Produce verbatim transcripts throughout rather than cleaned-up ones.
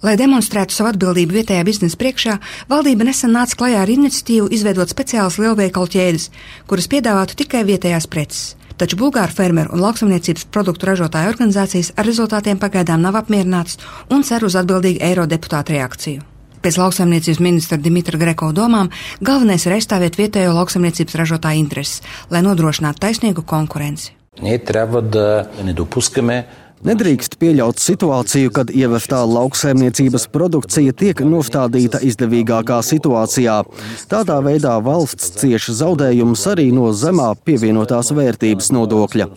Lai demonstrētu savu atbildību vietējā biznesa priekšā, valdība nesen nāca klajā ar iniciatīvu izveidot speciālas lielveikalu ķēdes, kuras piedāvātu tikai vietējās preces. Taču bulgāru fermeru un lauksaimniecības produktu ražotāju organizācijas ar rezultātiem pagaidām nav apmierinātas un cer uz atbildīgu eirodeputātu reakciju. Pēc lauksaimniecības ministra Dimitra Greko domām, galvenais ir aizstāvēt vietējo lauksaimniecības ražotāju intereses, lai nodrošinātu taisnīgu konkurenci. Nedrīkst pieļaut situāciju, kad ieveftā lauksaimniecības produkcija tiek nostādīta izdevīgākā situācijā. Tādā veidā valsts cieš zaudējumus arī no zemā pievienotās vērtības nodokļa.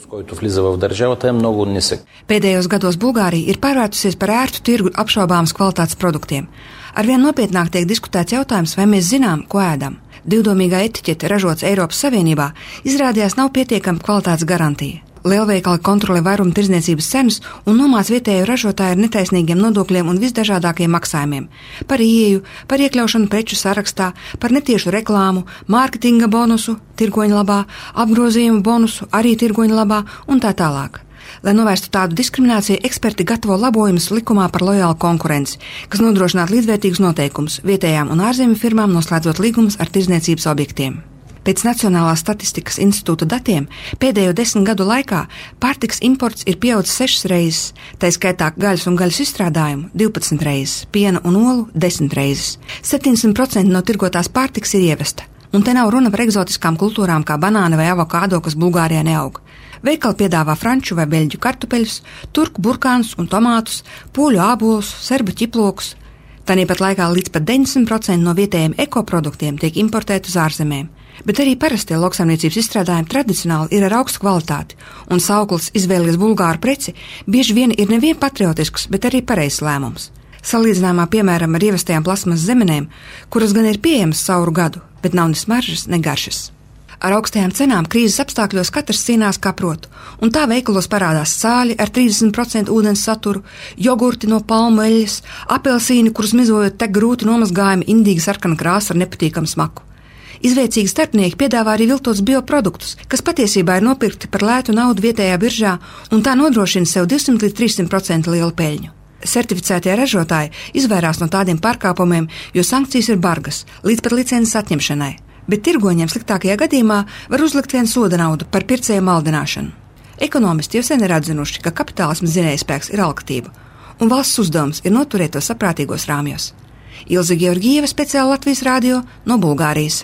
Pēdējos gados Bulgārija ir pārvērtusies par ērtu tirgu apšaubāmas kvalitātes produktiem. Arvien nopietnāk tiek diskutēts jautājums, vai mēs zinām, ko ēdam. Divdomīgā etiķete, ražots Eiropas Savienībā, izrādījās nav pietiekama kvalitātes garantija. Lielveikali kontrolē vairumu tirdzniecības cenas un nomāc vietējo ražotāju ar netaisnīgiem nodokļiem un visdažādākiem maksājumiem. Par ieeju, par iekļaušanu preču sarakstā, par netiešu reklāmu, mārketinga bonusu, tirgoņa labā, apgrozījumu bonusu, arī tirgoņa labā un tā tālāk. Lai novērstu tādu diskrimināciju, eksperti gatavo labojumus likumā par lojālu konkurenci, kas nodrošinātu līdzvērtīgus noteikumus vietējām un ārzemju firmām noslēdzot līgumus ar tirdzniecības objektiem. Pēc Nacionālās statistikas institūta datiem pēdējo desmit gadu laikā pārtikas imports ir pieaudzis sešas reizes, tā skaitā gaļas un gaļas izstrādājumu divpadsmit reizes, piena un olu desmit reizes. septiņdesmit procenti no tirgotās pārtikas ir ievesta, un te nav runa par egzotiskām kultūrām kā banāna vai avokādo, kas Bulgārijā neaug. Veikali piedāvā franču vai beļģu kartupeļus, turku burkānus un tomātus, poļu ābolus, serbu ķiplokus. Tāpat laikā līdz pat deviņdesmit procenti no vietējiem ekoproduktiem tiek importēti uz ārzemēm. Bet arī parastie lauksaimniecības izstrādājumi tradicionāli ir ar augstu kvalitāti, un sauklis izvēlies bulgāru preci bieži vien ir nevien patriotisks, bet arī pareizs lēmums. Salīdzinājumā, piemēram, ar ievestajām plasmas zemenēm, kuras gan ir pieejamas cauru gadu, bet nav ne smaržas, ne garšas. Ar augstajām cenām krīzes apstākļos katrs cīnās kā prot, un tā veikalos parādās sāļi ar trīsdesmit procenti ūdens saturu, jogurti no palmu eļļas, apelsīni, kurus mizojot tek grūti nomazgājami indīgi sarkana krāsa ar nepatīkamu smaku. Izveicīgi starpnieki piedāvā arī viltotus bioproduktus, kas patiesībā ir nopirkti par lētu naudu vietējā biržā un tā nodrošina sev divsimt līdz trīssimt procenti lielu peļņu. Certificētie ražotāji izvairās no tādiem pārkāpumiem, jo sankcijas ir bargas, līdz pat licences atņemšanai. Bet tirgoņiem sliktākajā gadījumā var uzlikt vienu soda naudu par pircēju maldināšanu. Ekonomisti jau sen ir atzinuši, ka kapitālisma zinējspēks ir alkatība, un valsts uzdevums ir noturēt to saprātīgos rāmjos. Ilze Georgieva, speciāli Latvijas radio no Bulgārijas.